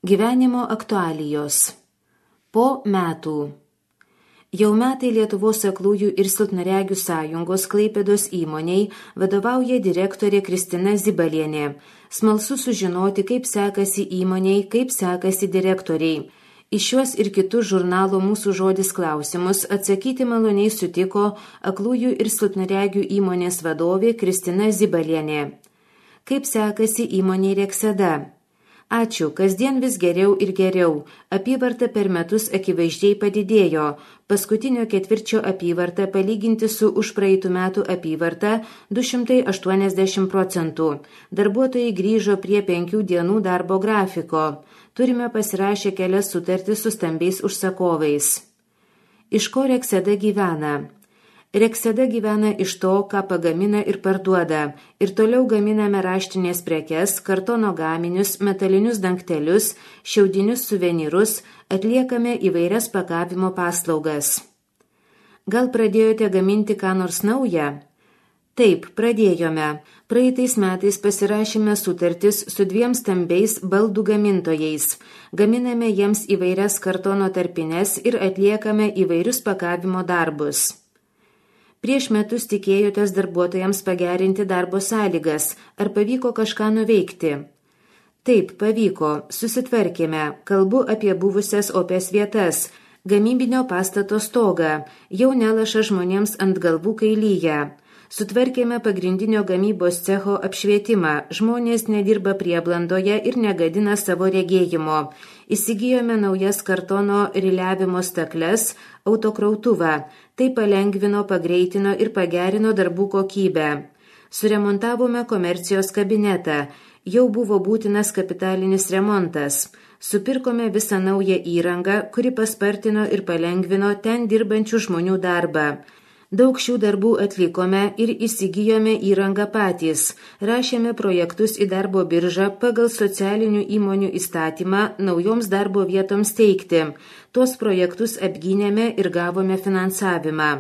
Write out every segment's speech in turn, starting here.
Gyvenimo aktualijos. Po metų. Jau metai Lietuvos aklųjų ir silpnaregių sąjungos Klaipėdos įmoniai vadovauja direktorė Kristina Zibalienė. Smalsu sužinoti, kaip sekasi įmoniai, kaip sekasi direktoriai. Į šiuos ir kitus žurnalo Mūsų žodis klausimus atsakyti maloniai sutiko aklųjų ir silpnaregių įmonės vadovė Kristina Zibalienė. Kaip sekasi įmoniai Rekseda? Ačiū, kasdien vis geriau ir geriau. Apyvarta per metus akivaizdžiai padidėjo. Paskutinio ketvirčio apyvarta palyginti su užpraeitų metų apyvarta 280%. Darbuotojai grįžo prie 5 dienų darbo grafiko. Turime pasirašę kelias sutartis su stambiais užsakovais. Iš ko Rekseda gyvena? Rekseda gyvena iš to, ką pagamina ir parduoda. Ir toliau gaminame raštinės prekes, kartono gaminius, metalinius dangtelius, šiaudinius suvenyrus, atliekame įvairias pakavimo paslaugas. Gal pradėjote gaminti ką nors naują? Taip, pradėjome. Praeitais metais pasirašėme sutartis su 2 stambiais baldų gamintojais. Gaminame jiems įvairias kartono tarpines ir atliekame įvairius pakavimo darbus. Prieš metus tikėjotės darbuotojams pagerinti darbo sąlygas. Ar pavyko kažką nuveikti? Taip, pavyko. Susitvarkėme. Kalbu apie buvusias opės vietas. Gamybinio pastato stogą. Jau nelaša žmonėms ant galvų, kai lyja. Sutvarkėme pagrindinio gamybos cecho apšvietimą. Žmonės nedirba prieblandoje ir negadina savo regėjimo. Įsigijome naujas kartono riliavimo stakles, autokrautuvą. Tai palengvino, pagreitino ir pagerino darbų kokybę. Suremontavome komercijos kabinetą. Jau buvo būtinas kapitalinis remontas. Supirkome visą naują įrangą, kuri paspartino ir palengvino ten dirbančių žmonių darbą. Daug šių darbų atlikome ir įsigijome įrangą patys. Rašėme projektus į darbo biržą pagal socialinių įmonių įstatymą naujoms darbo vietoms teikti. Tuos projektus apgynėme ir gavome finansavimą.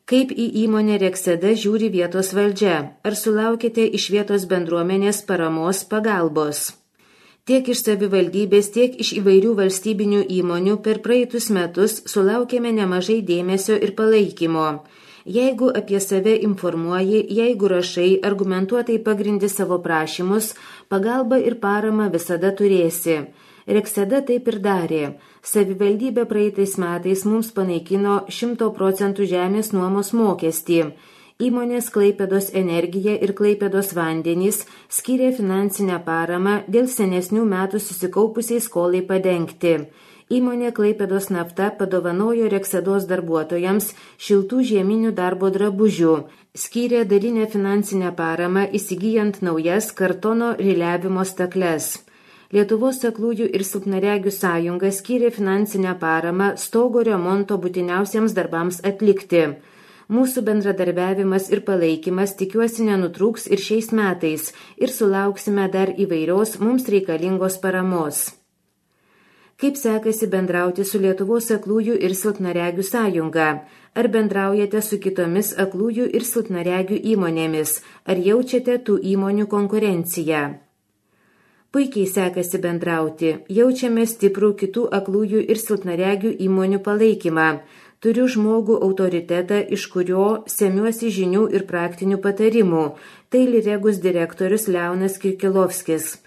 Kaip į įmonę Rekseda žiūri vietos valdžia? Ar sulaukėte iš vietos bendruomenės paramos pagalbos? Tiek iš savivaldybės, tiek iš įvairių valstybinių įmonių per praeitus metus sulaukėme nemažai dėmesio ir palaikymo. Jeigu apie save informuoji, jeigu rašai, argumentuotai pagrindi savo prašymus, pagalbą ir paramą visada turėsi. Rekseda taip ir darė. Savivaldybė praeitais metais mums panaikino 100% žemės nuomos mokestį. Įmonės Klaipėdos energija ir Klaipėdos vandenys skyrė finansinę paramą dėl senesnių metų susikaupusiai skolai padengti. Įmonė Klaipėdos nafta padovanojo Reksedos darbuotojams šiltų žieminių darbo drabužių, skyrė dalinę finansinę paramą įsigijant naujas kartono riliavimo stakles. Lietuvos aklųjų ir silpnaregių sąjunga skyrė finansinę paramą stogo remonto būtiniausiems darbams atlikti. Mūsų bendradarbiavimas ir palaikymas tikiuosi nenutrūks ir šiais metais ir sulauksime dar įvairios mums reikalingos paramos. Kaip sekasi bendrauti su Lietuvos aklųjų ir silpnaregių sąjunga? Ar bendraujate su kitomis aklųjų ir silpnaregių įmonėmis? Ar jaučiate tų įmonių konkurenciją? Puikiai sekasi bendrauti. Jaučiame stiprų kitų aklųjų ir silpnaregių įmonių palaikymą. Turiu žmogų autoritetą, iš kurio semiuosi žinių ir praktinių patarimų. Tai Liregus direktorius Leonas Kirkilovskis.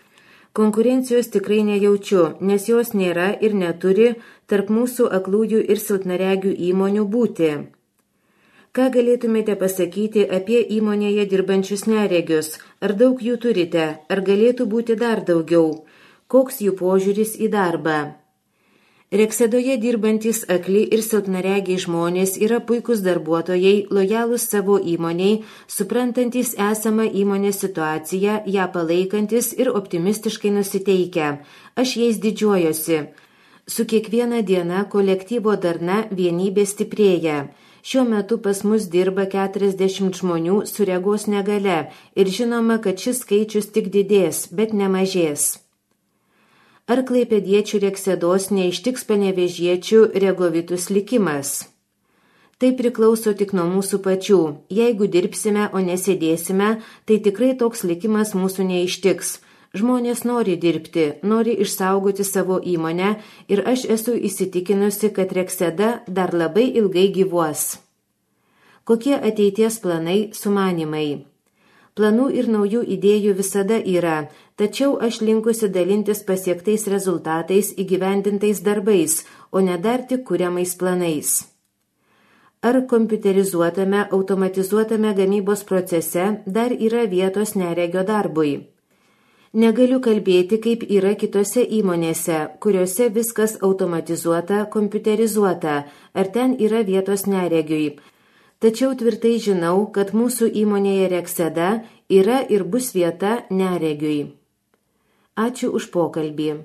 Konkurencijos tikrai nejaučiu, nes jos nėra ir neturi tarp mūsų aklųjų ir silpnaregių įmonių būti. Ką galėtumėte pasakyti apie įmonėje dirbančius neregius? Ar daug jų turite? Ar galėtų būti dar daugiau? Koks jų požiūris į darbą? Reksedoje dirbantis akli ir silpnaregiai žmonės yra puikūs darbuotojai, lojalūs savo įmoniai, suprantantis esamą įmonės situaciją, ją palaikantis ir optimistiškai nusiteikę. Aš jais didžiuojuosi. Su kiekviena diena kolektyvo darna vienybė stiprėja. Šiuo metu pas mus dirba 40 žmonių su regos negale ir žinoma, kad šis skaičius tik didės, bet nemažės. Ar klaipėdiečių Reksedos neištiks panevėžiečių regovitus likimas? Tai priklauso tik nuo mūsų pačių. Jeigu dirbsime, o nesėdėsime, tai tikrai toks likimas mūsų neištiks. Žmonės nori dirbti, nori išsaugoti savo įmonę ir aš esu įsitikinusi, kad Rekseda dar labai ilgai gyvuos. Kokie ateities planai, sumanimai? Planų ir naujų idėjų visada yra, tačiau aš linkusi dalintis pasiektais rezultatais įgyvendintais darbais, o ne dar tik kuriamais planais. Ar kompiuterizuotame, automatizuotame gamybos procese dar yra vietos neregio darbui? Negaliu kalbėti, kaip yra kitose įmonėse, kuriuose viskas automatizuota, kompiuterizuota, ar ten yra vietos neregiui. Tačiau tvirtai žinau, kad mūsų įmonėje Rekseda yra ir bus vieta neregiui. Ačiū už pokalbį.